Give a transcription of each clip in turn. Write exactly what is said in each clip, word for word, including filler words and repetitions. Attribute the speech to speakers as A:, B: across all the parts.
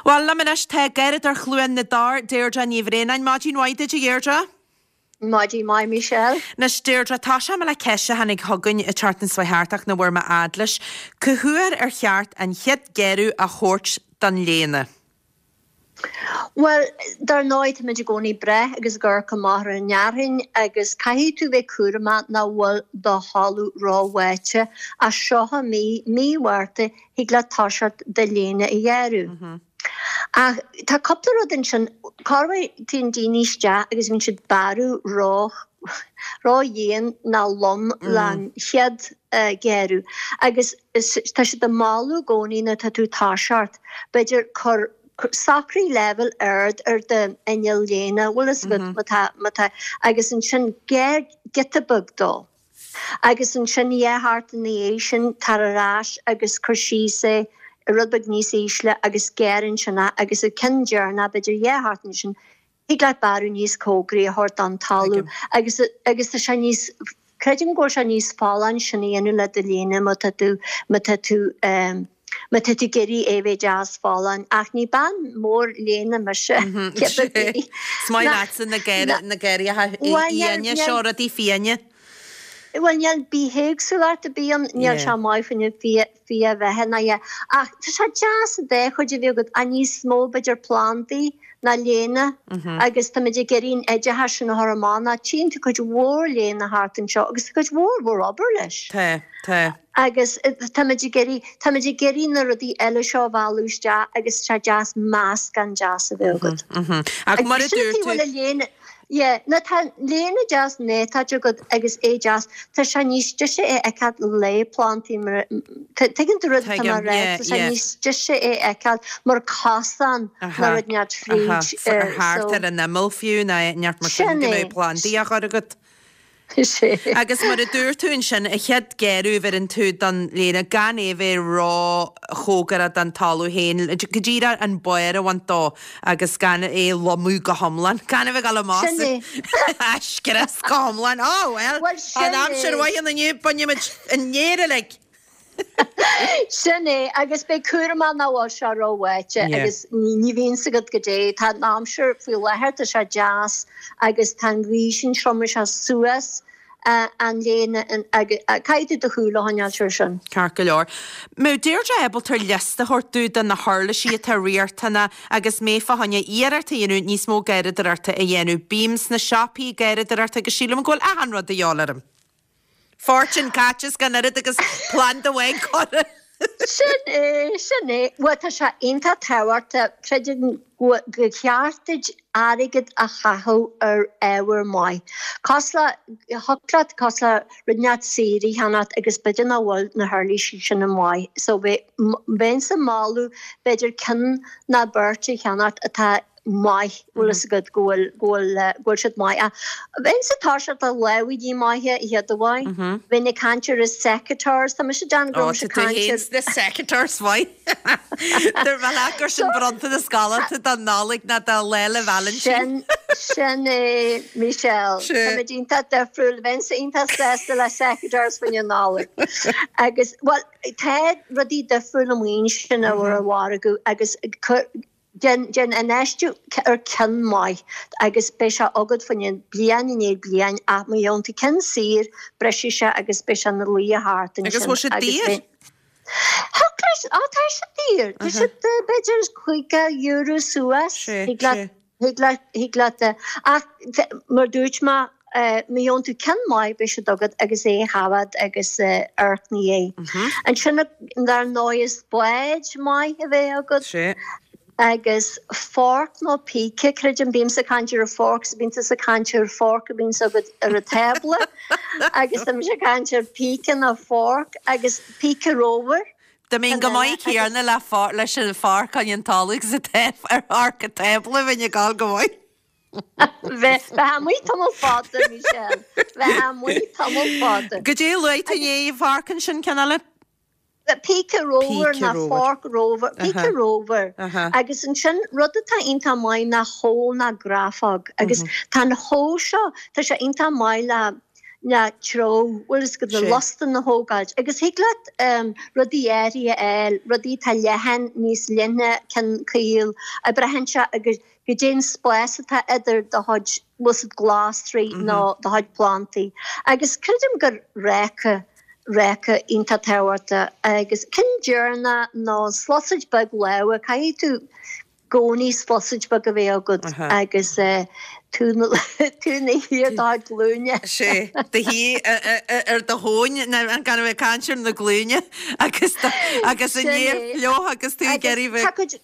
A: Bhuel, liom anois tá Garradóir Chluain na dTor, Deirdre Ní Bhraonáin. Maidin mhaith duit, a Dheirdre.
B: Maidin mhaith, Michelle.
A: Anois, Deirdre, tá sé le ceist a tháinig chugainn an tseachtain seo thart ach nach bhfuair mé fhad leis. Cá huair ar cheart an chéad ghearradh a thabhairt don léana?
B: Well, dar ndóigh táimid i gcónaí breith agus gur go maith an fhearthainn agus caithfidh tú bheith cúramach nach bhfuil do thalamh róbháite as seo mí mí Mhárta thig leat toiseacht do léine a ghearradh. Ach tá cúpla rud ansin corruair téann daoine isteach agus bíonn siad bearradh ró ródhian ná lom leis chéad gearradh agus tá siad ag moladh i gcónaí nuair atá tú toiseacht b'fhéidir cur socraigh leibhéal ard ar do inneall léana bhfuil fhios agat má tá má tá agus ansin gearr giota beag dó. Agus ansin dhá sheachtain ina dhiaidh sin tar ar ais agus cur síos é rud beag níos ísle agus gearr ansin é agus an ceann deireanach b'fhéidir dhá sheachtain sin thig leat bearradh níos cóngaraí a thabhairt don talamh agus agus tá sé níos creidim go bhfuil sé níos folláin sin a dhéanamh le do léine má tá tú má tá tú um, má tá tú ag iarraidh é bheith deas folláin ach ní bean mór léine mise.
A: Is maith leatsa na na garraithe fiáine seo rudaí fiáine.
B: Well níl bithéagsúlacht a bíonn níl sé maith faoin fia bheithe ná ach tá sé deas a bheith chuid a bhí agat a níos mó b'fhéidir plandaí ná léine agus tá muid ag iarraidh an oideachas sin a chur amach ná tchíonn tú cuid mhór léine thart anseo agus tá cuid mhór mhór obair leis.
A: Tá tá.
B: Agus tá muid ag iarraidh tá muid ag iarraidh na rudaí eile seo a mhealladh isteach agus sé deas meascán deas a bheith agat.
A: Ach mar a dúirt tú
B: léine Yeah, na tá léine deas néata agat agus é deas Tá sé níos deise é fheiceáil le plantaí mar tuigeann tú rud atá mar rá tá sé níos deise é fheiceáil mar cosán ná rud neart fríd
A: thart ar an imeall fiú ná neart mar sin go mbeidh plandaí á chur agat. Agus mar a dúirt tú ansin a chéad ghearradh a bheireann tú don léine gan é bheith ró-chóngarach don talamh féin, go díreach an barr a bhaint dó agus gan é lomadh go hiomlán, gan a bheith ag dul amach scrios go hiomlán. Ó well, an aimsir mhaith inniu bainfimid an fhéar uilig.
B: Sin é agus beidh cúramach nach bhfuil sé róbháite agus ní bhíonn agat go dté tá an aimsir faoi láthair tá sé deas agus tá an ghaoth sin triomaigh sé suas an léine caithfidh tú do shúil a choinneáil air sin.
A: Ceart go leor. Má Deirdre ábalta liosta a thabhairt dúinn de na huirlisí atá riachtanach agus mé fá choinne iarracht a dhéanamh níos mó garraíodóireachta a dhéanamh. Bím sna siopaí garraíodóireachta agus sílim go bhfuil achan rud de dhíobháil orm. Fortune caite gan oiread agus planda amháin curtha.
B: Sin é sin é Well tá sé iontach tábhachtach creidim go cheart duit airgead a chaitheamh ar ábhar maith. Cosúil le thig leat cosúil le rud inteacht saor a cheannacht agus b'fhéidir nach bhfuil na huirlisí sin an maith. So bheinnse ag moladh b'fhéidir ceann ná beirt a cheannacht atá maith bhfuil fhios agat go bhfuil go bhfuil go bhfuil siad maith. Bheinnse toiseacht le lámhaigí maithe a chéad amháin. Bheinn ag caint ar secateurs Tá mise déanamh go raibh caint ar
A: na secateurs mhaith. Dúirt mé leat gur sin bronntanas galánta don Nollaig ná do Lá 'le Vailintín.
B: Sin sin é Michelle. Tá iontach difriúil bheinnse iontach sásta le secateurs faoin Nollaig. Agus well tá rudaí difriúil amuigh sin ar an mhargadh agus Den den infheistiú ar ceann maith agus beidh sé agat faoin bliain i ndiaidh bliain ach má gheobhann tú ceann saor brisfidh sé agus beidh sé ina luí thart
A: Agus bhfuil siad daor?
B: Á tá siad daor Tá siad b'fhéidir caoga euro suas thig leat thig leat thig leat ach mar dúirt mé má gheobhann tú ceann maith beidh siad agat agus é thabhairt agus amharc ina dhiaidh. Ansin dar ndóigh is spáid maith a bheith agat.
A: Sé.
B: agus fork nó píce creidim bímse ag caint ar a fork bíonn tusa ag caint ar fork a bhíonn agat ar an tábla agus tá mise ag caint ar píce nó fork agus píce ramhar.
A: Dá mbeinn go maith céanna le leis an fork an talamh agus ar fork an tábla bheinn ag gabháil go maith.
B: Bheith amuigh tamall fada Michelle, bheith amuigh tamall fada.
A: Goidé luaigh tú inné fork ansin ceann eile?
B: Píce ramhar ná fork ramhar, píce ramhar agus ansin rud atá iontach maith ná hoe ná grafóg agus tá an hoe seo tá sé iontach maith le ná treo, bhfuil fhios agat, na lustain a thógáilt. Agus thig leat rudaí áirithe a fháil, rudaí atá leathan, níos leithne, ceann caol, a braitheann sé agus goidé an spás atá idir do chuid, bhfuil fhios agat, glasraí nó do chuid plantaí. Agus creidim gur réice, réice iontach tábhachtach agus ceann deireanach ná sluasaid beag láimhe, caithfidh tú gcónaí sluasaid beag a bheith agat agus tú ina shuí ar do chuid glúine.
A: Sé, do shuí ar do thóin, gan a bheith ag caint ar na glúine agus agus an fhéar fliuch agus tú ag iarraidh bheith.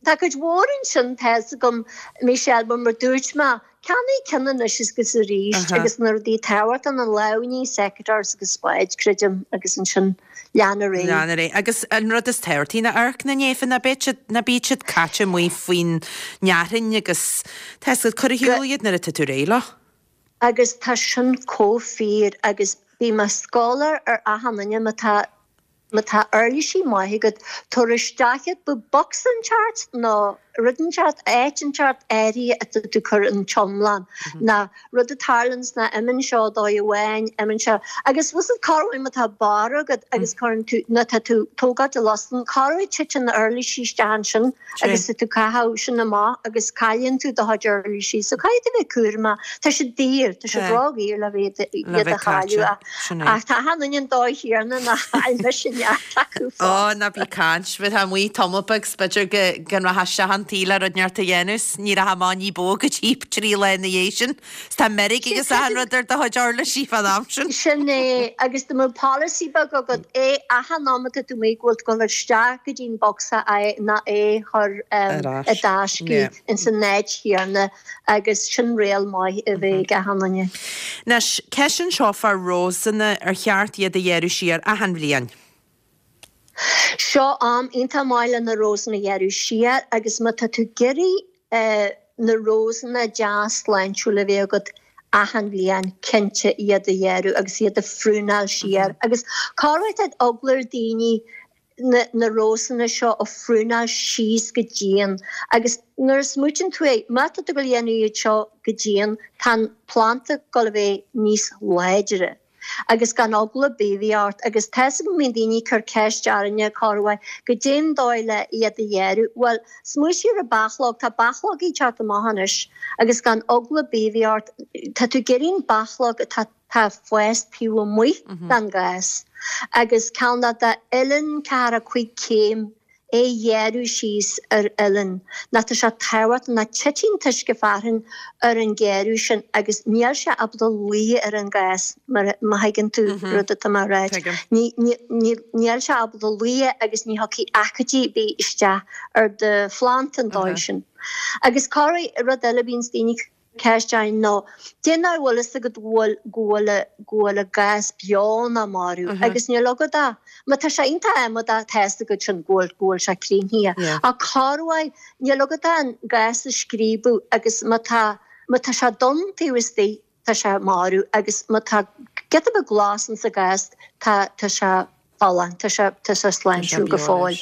B: Tá cuid mhór ansin, tá fhios agam, Michelle, mar mar dúirt mé, Ceannaigh ceann anois is agus arís agus na rudaí tábhachtacha, na lámhainní, secateurs agus spáid, creidim, agus ansin lean ar aghaidh.
A: Lean ar aghaidh. Agus an rud is tábhachtaí ná amharc na néafa, ná beidh siad, ná bíodh siad caite amuigh faoin fhearthainn agus tá fhios agat, cuir ar shiúl iad nuair atá tú réidh leo.
B: Agus tá sin chomh fíor agus bím ag scoláire ar achan duine má tá Má tá uirlisí maith agat, tabhair isteach iad, bíodh bocsa inteacht nó rud inteacht, áit inteacht áirithe atá tú cur an t-iomlán, ná rud a tarlaíonns ná imíonn seo dóigh amháin, imíonn seo, agus bhfuil fhios agat corruair má tá barra agat agus cuireann tú, nó tá tú tógáilt an lustan, corruair titeann na uirlisí isteach ansin agus tá tú caitheamh sin amach agus cailleann tú do chuid uirlisí, so caithfidh tú bheith cúramach, tá siad daor, tá siad ródhaor le bheith iad a chailleadh ach ach tá achan duine an dóigh chéanna ná chaill mise neart acu
A: fós. Ó, ná bí caint, bheifeá amuigh tamall beag 's b'fhéidir go go rachfá isteach an tí le rud inteacht a dhéanamh 's ní rachfá amach ní ba mhó go dtí trí lá ina dhiaidh sin. 's tá meirg agus achan rud ar do chuid uirlisí fán am sin.
B: Sin é, agus dá mbeadh polasaí beag agat, é achan am atá tú amuigh go bhfuil tú ag dul isteach go dtí an bocsa é ná é chur i dtaisce ins an áit chéanna agus sin riail maith a bheith ag achan duine.
A: Anois, ceist anseo fá rósanna, ar cheart iad a ghearradh siar achan bhliain?
B: Seo am iontach maith le na rósanna a ghearradh siar agus má tá tú ag iarraidh na rósanna deas sláintiúil a bheith agat achan bhliain, cinnte iad a ghearradh agus iad a phrúnáil siar. Agus corruair tá eagla ar daoine na na rósanna seo a phrúnáil síos go dian agus nuair a smaoitíonn tú é, má tá tú ag dul a dhéanamh iad seo go dian, tá an planda ag dul a bheith níos láidre. Agus gan eagla ar bith a bheith ort, agus tá fhios agam go mbíonn daoine ag cur ceist orainne corruair, goidé an dóigh le iad a ghearradh. Bhuel, smaoitigh ar an bachlóg, tá bachlógaí ag teacht amach anois, agus gan eagla ar bith a bheith ort, tá tú ag iarraidh an bachlóg atá tá ag fás taobh amuigh den ghás, agus ceann de uillinn ceathracha cúig céim é a ghearradh síos ar uillinn, ná tá sé tábhachtach ná titeann an t-uisce fearthainn ar an ghearradh sin agus níl sé ábalta luí ar an ghás mar má thuigeann tú rud atá mé a ráit. Níl sé ábalta luí agus ní thiocfaidh aicídí ar bith isteach ar do phlanda an dóigh sin. Agus corruair rud eile bíonns daoine ceist againn ná cé nach bhfuil fhios agat go bhfuil go bhfuil go bhfuil an gás beo ná marbh agus níl agat ach má tá sé iontach amadach tá fhios agat sin go bhfuil go bhfuil sé críochnaithe ach corruair níl agat ach an gás a scríobadh agus má tá má tá sé donn taobh istigh tá sé marbh agus má tá giota beag glas insa ghás tá tá sé folláin, tá sé, tá sé sláintiúil go fóill.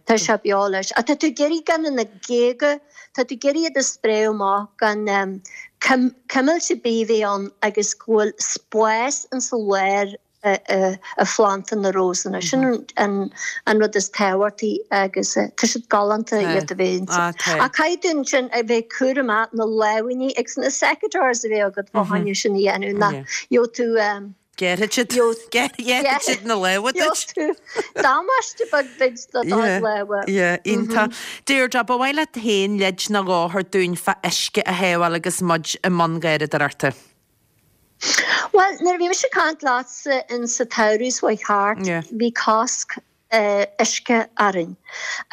B: Tá sé beo leis. Ach tá tú ag iarraidh gan na géaga, tá tú ag iarraidh iad a spréadh amach gan cuimilt ar bith a bheith ann agus go bhfuil spás insa lár a phlanda na rósanna. Sin an an rud is tábhachtaí agus tá siad galánta iad a bheith insa. Ach caithfidh tú ansin a bheith cúramach na lámhainní agus na secateurs a bheith agat fá choinne sin a dhéanamh ná gheobhaidh tú
A: Gearrfaidh siad siad na lámha duit.
B: Damáiste beag duit do do lámha.
A: Yeah, iontach. Deirdre, ba mhaith leat féin leid nó dhó a thabhairt dúinn fá uisce a shábháil agus muid i mbun garraíodóireachta.
B: Bhuel, nuair a bhí mise ag caint leatsa in sa tsamhradh seo chuaigh thart, bhí cosc uisce orainn.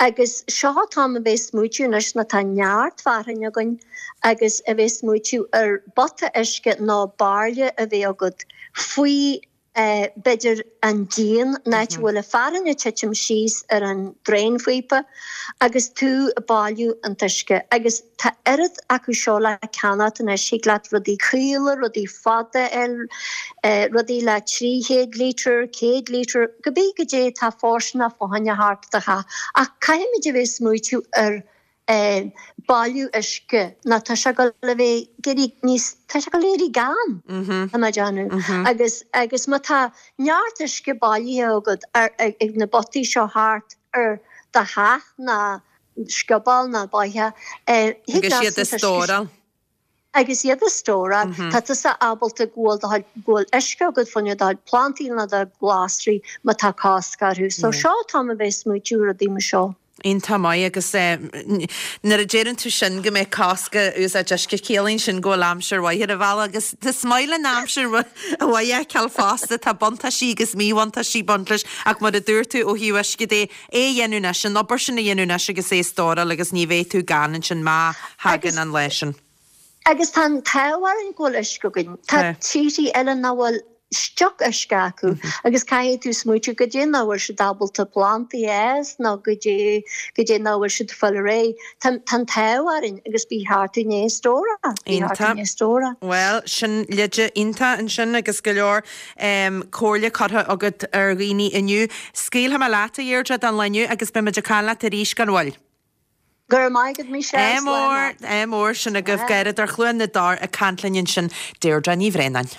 B: Agus seo an t-am a bheith smaoitiú anois ná tá neart fearthainn againn agus a bheith smaoitiú ar bpota uisce nó bairille a bheith agat faoi b'fhéidir an díon, an áit a bhfuil an fearthainn ag titim síos ar an draenphíopa agus tú ag bailiú an t-uisce. Agus tá oiread acu seo le ceannacht anois, thig leat rudaí caola, rudaí fada a fháil, rudaí le trí chéad lítear, céad lítear, cibé goidé atá fóirsteanach fá choinne thart do theach. Ach caithfimid a bheith ag smaoitiú ar Bailiú uisce ná tá sé ag dul a bheith ag éirí níos, tá sé ag dul a éirí gann, tá mé ag déanamh. Agus, agus má tá neart uisce bailithe agat ar, ag na bpotaí seo thart ar do theach ná scioból ná bóitheach,
A: thig Agus iad a stóráil.
B: Agus iad a stóráil, tá tusa ábalta go bhfuil do chuid, go bhfuil uisce agat fá choinne do chuid plantaí nó do ghlasraí má tá cosc orthu. So seo an t-am a bheith ag smaoitiú rudaí mar seo.
A: Iontach maith agus nuair a deireann tú sin go mbeidh cosc ar úsáid uisce ciallaíonn sin go bhfuil aimsir mhaith ar an bhealach agus is maith linn aimsir mhaith a fheiceáil fosta. Tá buntáistí agus míbhuntáistí ag baint leis ach mar a dúirt tú ó thaobh uisce de, é a dhéanamh anois, an obair sin a dhéanamh anois agus é a stóráil agus ní bheidh tú gann ansin má thagann an lá sin.
B: Agus tá an t-ádh orainn go bhfuil uisce againn. Tá tíorthaí eile nach bhfuil stioc uisce acu agus caithfidh tú smaoitiú goidé nach bhfuil siad ábalta plantaí a fhás nó goidé goidé nach bhfuil siad ag fáil ar aghaidh. Tá tá an t-ádh orainn agus ba cheart dúinn é a stóráil. Ba cheart dúinn é a stóráil.
A: Bhuel, sin leide iontach ansin agus go leor comhairle curtha agat ar dhaoine inniu. Scaoilfidh mé leat, a Dheirdre, don lá inniu agus beidh muid ag caint leat arís gan mhoill.
B: Go raibh maith agat, Michelle.
A: Ádh mór, ádh mór, sin agaibh Garradóir Chluain na dTor ag caint linn ansin, Deirdre Ní Bhraonáin.